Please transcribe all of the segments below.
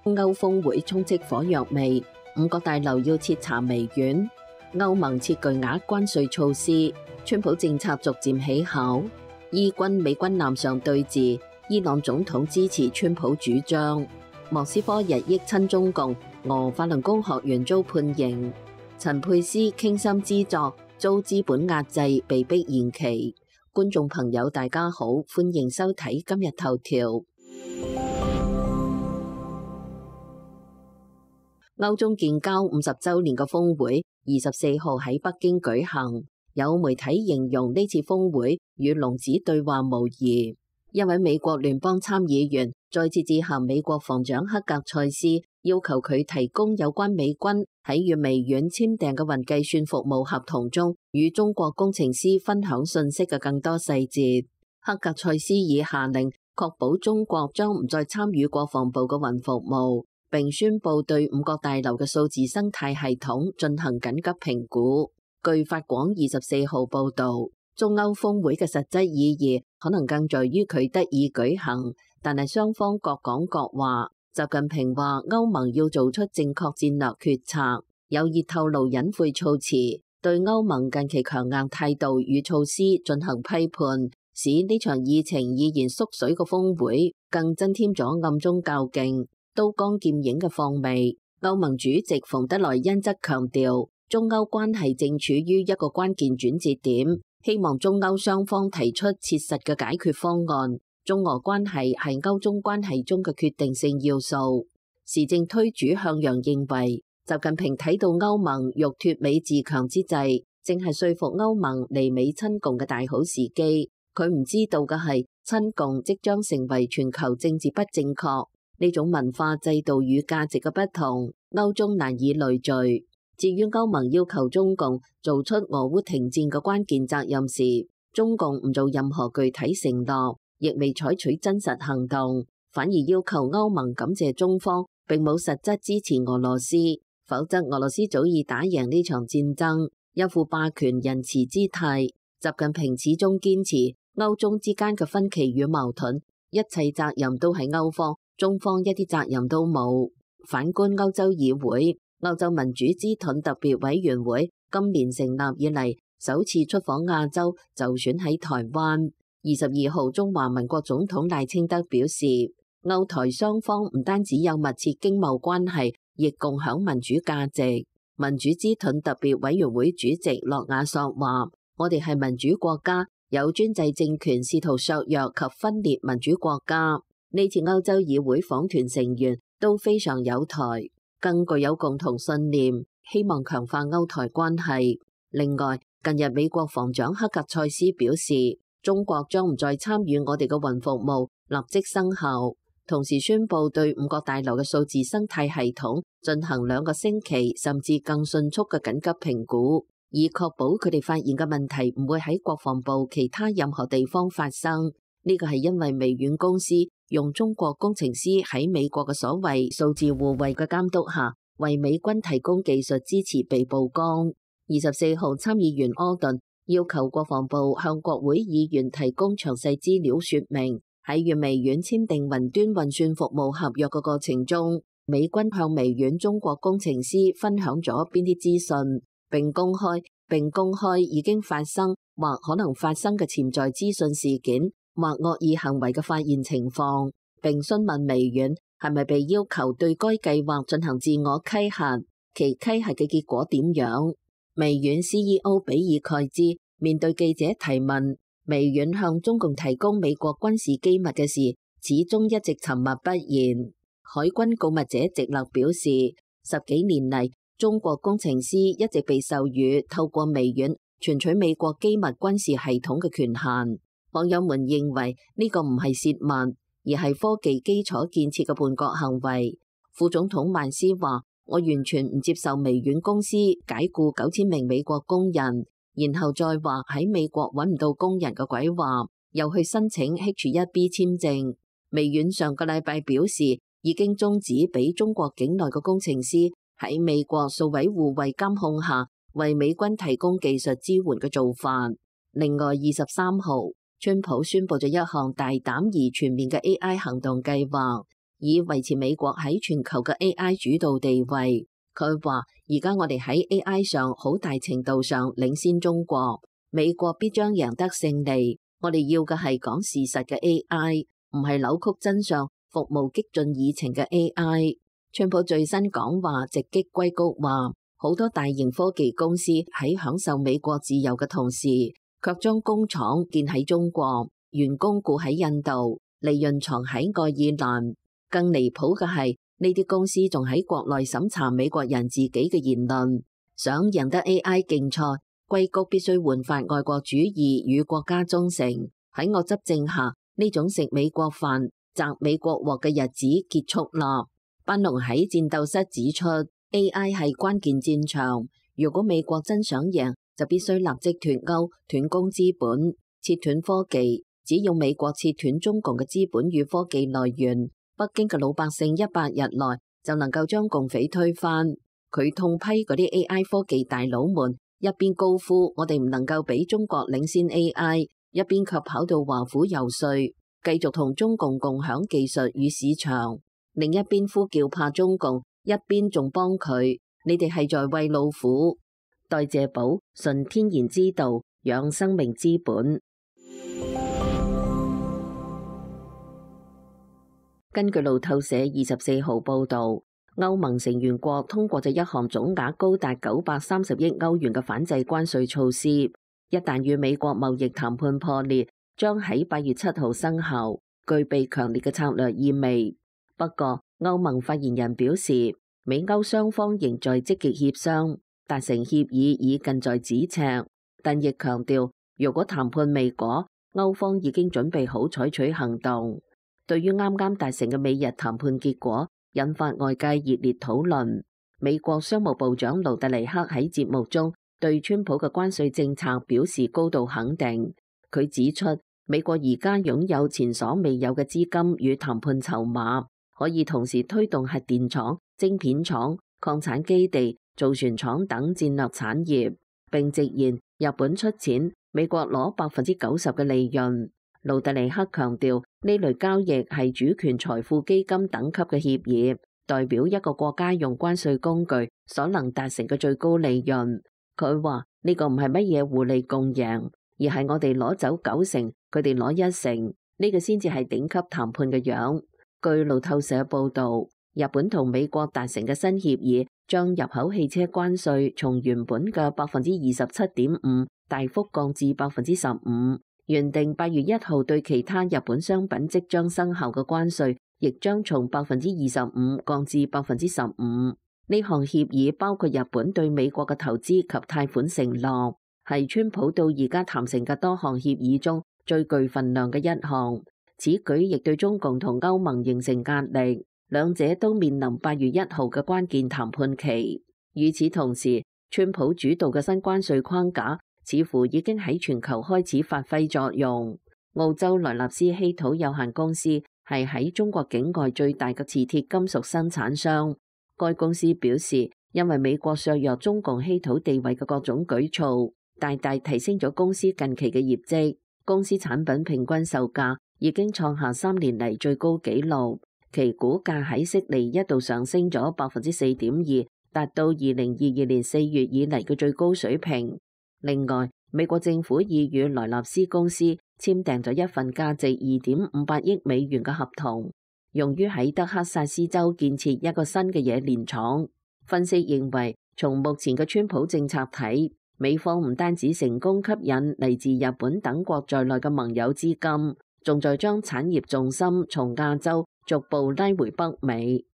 歐峰會充斥火藥味，五角大樓要徹查微軟，歐盟設巨額關稅措施，川普政策逐漸起效，伊軍美軍艦上對峙，伊朗總統支持川普主張，莫斯科日益親中共，俄法輪功學員遭判刑，陳佩斯傾心之作遭資本壓制，被迫延期。觀眾朋友大家好，歡迎收睇今日頭條。歐中建交50週年嘅峰會24號喺北京舉行，有媒體形容呢次峰會與龍子對話無異。一位美國聯邦參議員再次致函美國防長克格塞斯，要求佢提供有關美軍喺與微軟簽訂嘅雲計算服務合同中與中國工程師分享信息嘅更多細節。克格塞斯已下令確保中國將唔再參與國防部嘅雲服務，並宣布對五角大樓嘅數字生態系統進行緊急評估。據法廣24號報導，中歐峰會嘅實質意義可能更在於佢得以舉行，但係雙方各講各話。習近平話歐盟要做出正確戰略決策，有意透露隱晦措辭，對歐盟近期強硬態度與措施進行批判，使呢場議程已然縮水嘅峰會更增添咗暗中較勁、刀光劍影嘅況味。歐盟主席馮德萊恩則強調，中歐關係正處於一個關鍵轉折點，希望中歐雙方提出切實嘅解決方案。中俄關係係歐中關係中嘅決定性要素。時政推主向陽認為，習近平睇到歐盟欲脫美自強之際，正係說服歐盟離美親共嘅大好時機。佢唔知道嘅係，親共即將成為全球政治不正確，呢種文化制度與價值嘅不同，歐中難以累聚。至於歐盟要求中共做出俄烏停戰嘅關鍵責任時，中共唔做任何具體承諾，亦未採取真實行動，反而要求歐盟感謝中方並冇實質支持俄羅斯，否則俄羅斯早已打贏呢場戰爭，一副霸權仁慈姿態。習近平始終堅持歐中之間嘅分歧與矛盾，一切責任都係歐方，中方一啲責任都冇。反觀歐洲議會，歐洲民主之盾特別委員會今年成立以嚟首次出訪亞洲，就選喺台灣。22號，中華民國總統賴清德表示，歐台雙方唔單止有密切經貿關係，亦共享民主價值。民主之盾特別委員會主席諾亞索話，我哋係民主國家，有專制政權試圖削弱及分裂民主國家。呢次歐洲議會訪團成員都非常有台，更具有共同信念，希望強化歐台關係。另外，近日美國防長克格塞斯表示，中國將唔再參與我哋嘅雲服務，立即生效。同時宣布對五角大樓嘅數字生態系統進行2個星期甚至更迅速嘅緊急評估，以確保佢哋發現嘅問題唔會喺國防部其他任何地方發生。呢個係因為微軟公司用中國工程師喺美國嘅所謂數字護衛嘅監督下，為美軍提供技術支持被曝光。24號，參議員柯頓要求國防部向國會議員提供詳細資料，說明喺與微軟簽訂雲端運算服務合約嘅過程中，美軍向微軟中國工程師分享咗邊啲資訊，並公開已經發生或可能發生嘅潛在資訊事件或惡意行為嘅發現情況，並詢問微軟係咪被要求對該計劃進行自我稽核，其稽核嘅結果點樣。微軟 CEO 比爾蓋茲面對記者提問，微軟向中共提供美國軍事機密嘅事，始終一直沉默不言。海軍告密者直勒表示，10幾年嚟，中國工程師一直被授予透過微軟存取美國機密軍事系統嘅權限。網友們認為呢個唔係洩密，而係科技基礎建設嘅叛國行為。副總統曼斯話，我完全唔接受微軟公司解雇9000名美國工人，然後再話喺美國揾唔到工人嘅鬼話，又去申請 H1B 簽證。微軟上個禮拜表示，已經終止俾中國境內嘅工程師喺美國數位護衛監控下為美軍提供技術支援嘅做法。另外23號，川普宣布咗一項大膽而全面嘅 AI 行動計劃，以維持美國喺全球嘅 AI 主導地位。佢話：而家我哋喺 AI 上好大程度上領先中國，美國必將贏得勝利。我哋要嘅係講事實嘅 AI，唔係扭曲真相、服務激進議程嘅 AI。川普最新講話直擊硅谷話，好多大型科技公司喺享受美國自由嘅同時，卻將工廠建喺中國，員工雇喺印度，利潤藏喺愛爾蘭。更離譜嘅係，呢啲公司仲喺國內審查美國人自己嘅言論。想贏得 AI 競賽，硅谷必須煥發愛國主義與國家忠誠。喺我執政下，呢種食美國飯、摘美國鑊嘅日子結束啦。班農喺戰鬥室指出 ，AI 係關鍵戰場。如果美國真想贏，就必須立即脫鈎、斷供資本、切斷科技。只要美國切斷中共嘅資本與科技來源，北京嘅老百姓100日內就能夠將共匪推翻。佢痛批嗰啲 AI 科技大佬們，一邊高呼我哋唔能夠比中國領先 AI，一邊卻跑到華府游說，繼續同中共共享技術與市場。另一邊呼叫怕中共，一邊仲幫佢，你哋係在餵老虎。代謝寶，純天然之道，養生命之本。根據路透社24號報導，歐盟成員國通過咗一項總額高達930億歐元嘅反制關稅措施，一旦與美國貿易談判破裂，將喺8月7號生效，具備強烈嘅策略意味。不過，歐盟發言人表示，美歐雙方仍在積極協商，達成協議已近在咫尺，但亦強調，如果談判未果，歐方已經準備好採取行動。對於啱啱達成嘅美日談判結果，引發外界熱烈討論。美國商務部長盧特尼克喺節目中對川普嘅關稅政策表示高度肯定。佢指出，美國而家擁有前所未有嘅資金與談判籌碼，可以同時推動核電廠、晶片廠、礦產基地、造船廠等戰略產業，並直言日本出錢，美國攞90%嘅利潤。盧特尼克強調，呢類交易係主權財富基金等級嘅協議，代表一個國家用關稅工具所能達成嘅最高利潤。佢話呢個唔係乜嘢互利共贏，而係我哋攞走90%，佢哋攞1%，呢個先至係頂級談判嘅樣。據路透社報道，日本同美國達成嘅新協議，將入口汽車關稅從原本嘅27.5%大幅降至15%。原定8月1號對其他日本商品即將生效嘅關稅，亦將從25%降至15%。呢項協議包括日本對美國嘅投資及貸款承諾，係川普到而家談成嘅多項協議中最具份量嘅一項。此舉亦對中共同歐盟形成壓力，兩者都面臨8月1號嘅關鍵談判期。與此同時，川普主導嘅新關稅框架似乎已經喺全球開始發揮作用。澳洲萊納斯稀土有限公司係喺中國境外最大嘅磁鐵金屬生產商。該公司表示，因為美國削弱中共稀土地位嘅各種舉措，大大提升咗公司近期嘅業績。公司產品平均售價已經創下3年嚟最高紀錄，其股價喺悉尼一度上升咗4.2%，達到2022年4月以嚟嘅最高水平。另外，美國政府已與萊納斯公司簽訂咗一份價值2.58億美元嘅合同，用於喺德克薩斯州建設一個新嘅冶煉廠。分析認為，從目前嘅川普政策睇，美方唔單止成功吸引嚟自日本等國在內嘅盟友資金，仲在將產業重心從亞洲逐步拉回北美。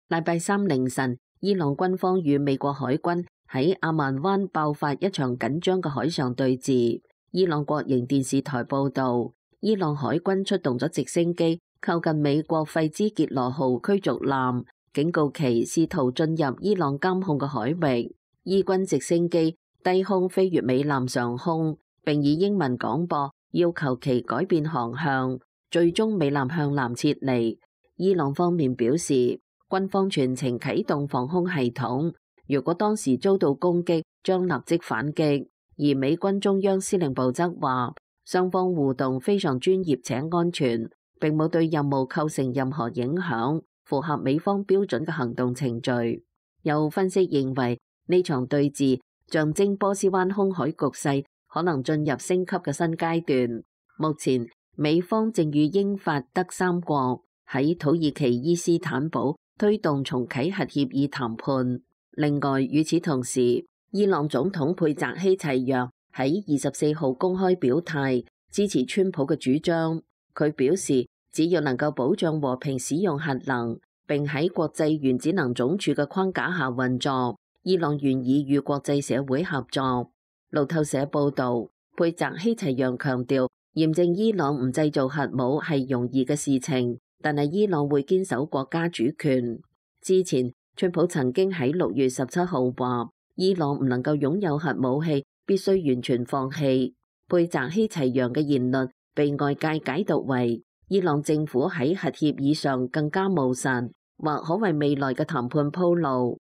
禮拜三凌晨，伊朗軍方與美國海軍喺阿曼灣爆發一場緊張嘅海上對峙。伊朗國營電視台報導，伊朗海軍出動咗直升機靠近美國費茲傑羅號驅逐艦，警告其試圖進入伊朗監控嘅海域。伊軍直升機低空飛越美艦上空，並以英文廣播要求其改變航向，最終美艦向南撤離。伊朗方面表示，軍方全程啟動防空系統，如果當時遭到攻擊，將立即反擊。而美軍中央司令部則話，雙方互動非常專業且安全，並冇對任務構成任何影響，符合美方標準嘅行動程序。有分析認為，呢場對峙象徵波斯灣空海局勢可能進入升級嘅新階段。目前，美方正與英法德三國喺土耳其伊斯坦堡推動重啟核協議談判。另外，與此同時，伊朗總統佩澤希齊揚喺24號公開表態支持川普嘅主張。佢表示，只要能夠保障和平使用核能，並喺國際原子能總署嘅框架下運作，伊朗願意與國際社會合作。路透社報導，佩澤希齊揚強調，驗證伊朗唔製造核武係容易嘅事情，但係伊朗會堅守國家主權。之前，川普曾經喺6月17號話，伊朗唔能夠擁有核武器，必須完全放棄。佩澤希齊揚嘅言論被外界解讀為伊朗政府喺核協議上更加務實，或可為未來嘅談判鋪路。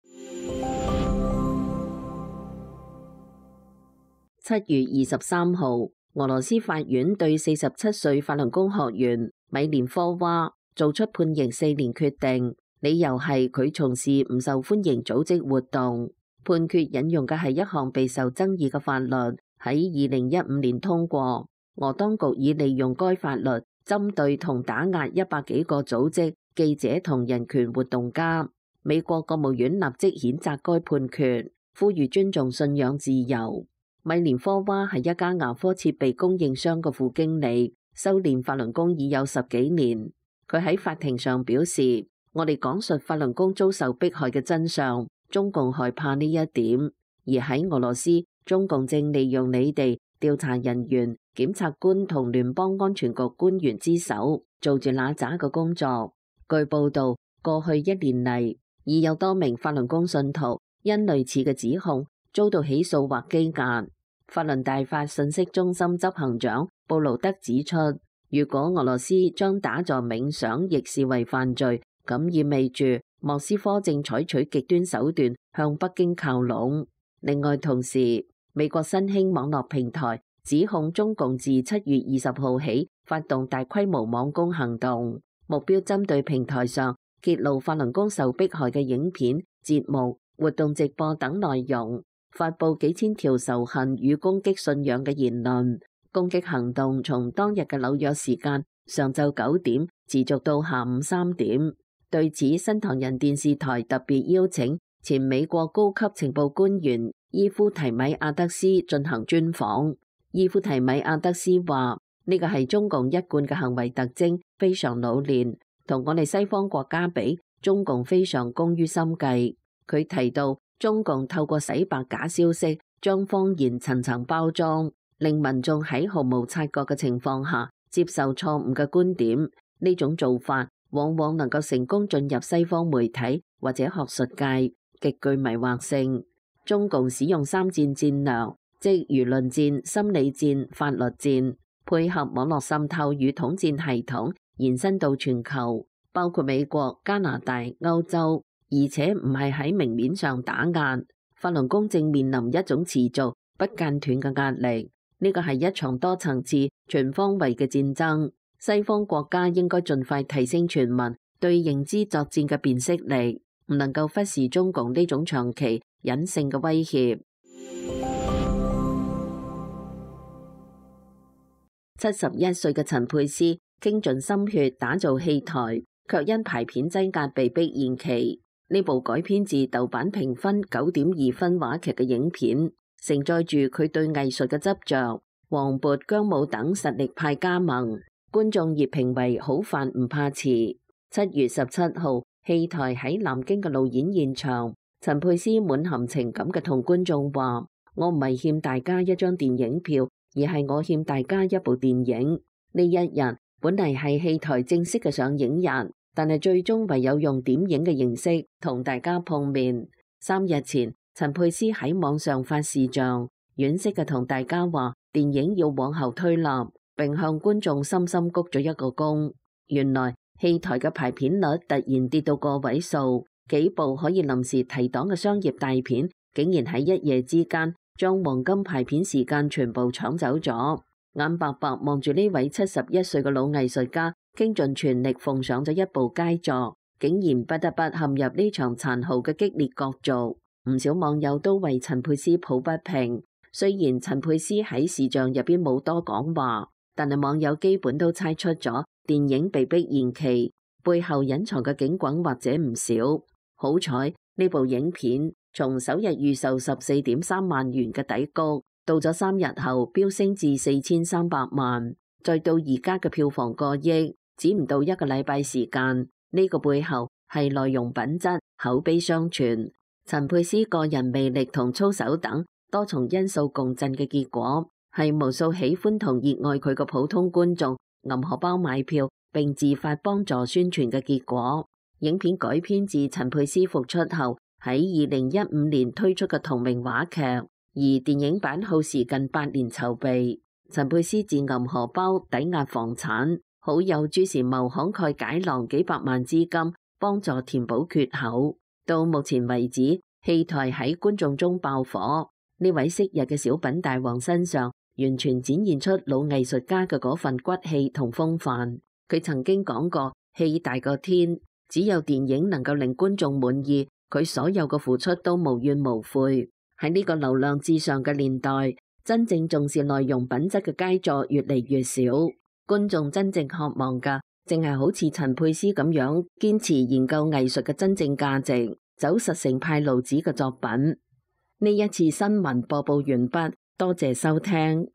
7月23號，俄羅斯法院對47歲法輪功學員米連科娃做出判刑4年決定，理由係佢從事唔受歡迎組織活動。判決引用嘅係一項備受爭議嘅法律，喺2015年通過。俄當局已利用該法律針對同打壓100幾個組織、記者同人權活動家。美國國務院立即譴責該判決，呼籲尊重信仰自由。米連科娃係一家牙科設備供應商嘅副經理，修煉法輪功已有10幾年。佢喺法庭上表示，我哋講述法輪功遭受迫害嘅真相，中共害怕呢一點，而喺俄羅斯，中共正利用你哋調查人員、檢察官同聯邦安全局官員之手，做住那渣嘅工作。據報道，過去1年嚟，已有多名法輪功信徒因類似嘅指控遭到起訴或羈押。法輪大法信息中心執行長布勞德指出，如果俄羅斯將打坐冥想亦視為犯罪，咁意味住莫斯科正採取極端手段向北京靠攏。另外，同時美國新興網絡平台指控中共自7月20號起發動大規模網攻行動，目標針對平台上揭露法輪功受迫害嘅影片、節目、活動直播等內容，發佈幾千條仇恨與攻擊信仰嘅言論。攻擊行動從當日嘅紐約時間上晝9點持續到下午3點。對此，新唐人電視台特別邀請前美國高級情報官員伊夫提米亞德斯進行專訪。伊夫提米亞德斯話：呢個係中共一貫嘅行為特徵，非常老練。同我哋西方國家比，中共非常工於心計。佢提到，中共透過洗白假消息，將謊言層層包裝，令民眾喺毫無察覺嘅情況下接受錯誤嘅觀點。呢種做法往往能夠成功進入西方媒體或者學術界，極具迷惑性。中共使用3戰戰略，即輿論戰、心理戰、法律戰，配合網絡滲透與統戰系統，延伸到全球，包括美國、加拿大、歐洲，而且唔係喺明面上打壓。法輪功正面臨一種持續不間斷嘅壓力，呢個係一場多層次、全方位嘅戰爭。西方國家應該盡快提升全民對認知作戰嘅辨識力，唔能夠忽視中共呢種長期隱性嘅威脅。71歲嘅陳佩斯傾盡心血打造戲台，卻因排片擠壓被迫延期。呢部改編自豆瓣評分9.2分話劇嘅影片，承載住佢對藝術嘅執着。黃渤、姜武等實力派加盟，觀眾熱評為好飯唔怕遲。7月17號，戲台喺南京嘅路演現場，陳佩斯滿含情感嘅同觀眾話：我唔係欠大家一張電影票，而係我欠大家一部電影。呢一日本嚟係戲台正式嘅上映日，但係最終唯有用點映嘅形式同大家碰面。3日前，陳佩斯喺網上發視像，惋惜嘅同大家話電影要往後推納，並向觀眾深深鞠咗一個躬。原來戲台嘅排片率突然跌到個位數，幾部可以臨時提檔嘅商業大片，竟然喺一夜之間將黃金排片時間全部搶走咗。眼白白望住呢位71歲嘅老藝術家，傾盡全力奉上咗一部佳作，竟然不得不陷入呢場殘酷嘅激烈角逐。唔少網友都為陳佩斯抱不平。雖然陳佩斯喺視像入邊冇多講話，但係網友基本都猜出咗電影被迫延期背後隱藏嘅警棍或者唔少。好彩呢部影片從首日預售14.3萬元嘅底谷，到咗3日後飆升至4300萬，再到而家嘅票房過億，只唔到1個禮拜時間。呢個背後係內容品質、口碑相傳，陳佩斯個人魅力同操守等多重因素共振嘅結果，係無數喜歡同熱愛佢嘅普通觀眾揞荷包買票並自發幫助宣傳嘅結果。影片改編自陳佩斯復出後喺2015年推出嘅同名話劇，而電影版耗時近8年籌備。陳佩斯自揞荷包抵押房產，好友朱時茂慷慨解囊幾百萬資金幫助填補缺口。到目前為止，戲台喺觀眾中爆火。呢位昔日嘅小品大王身上，完全展現出老藝術家嘅嗰份骨氣同風範。佢曾經講過，戲大過天，只有電影能夠令觀眾滿意，佢所有嘅付出都無怨無悔。喺呢個流量至上嘅年代，真正重視內容品質嘅佳作越嚟越少。觀眾真正渴望嘅，淨係好似陳佩斯咁樣堅持研究藝術嘅真正價值，走實成派路子嘅作品。呢一次新聞播報完畢，多謝收聽。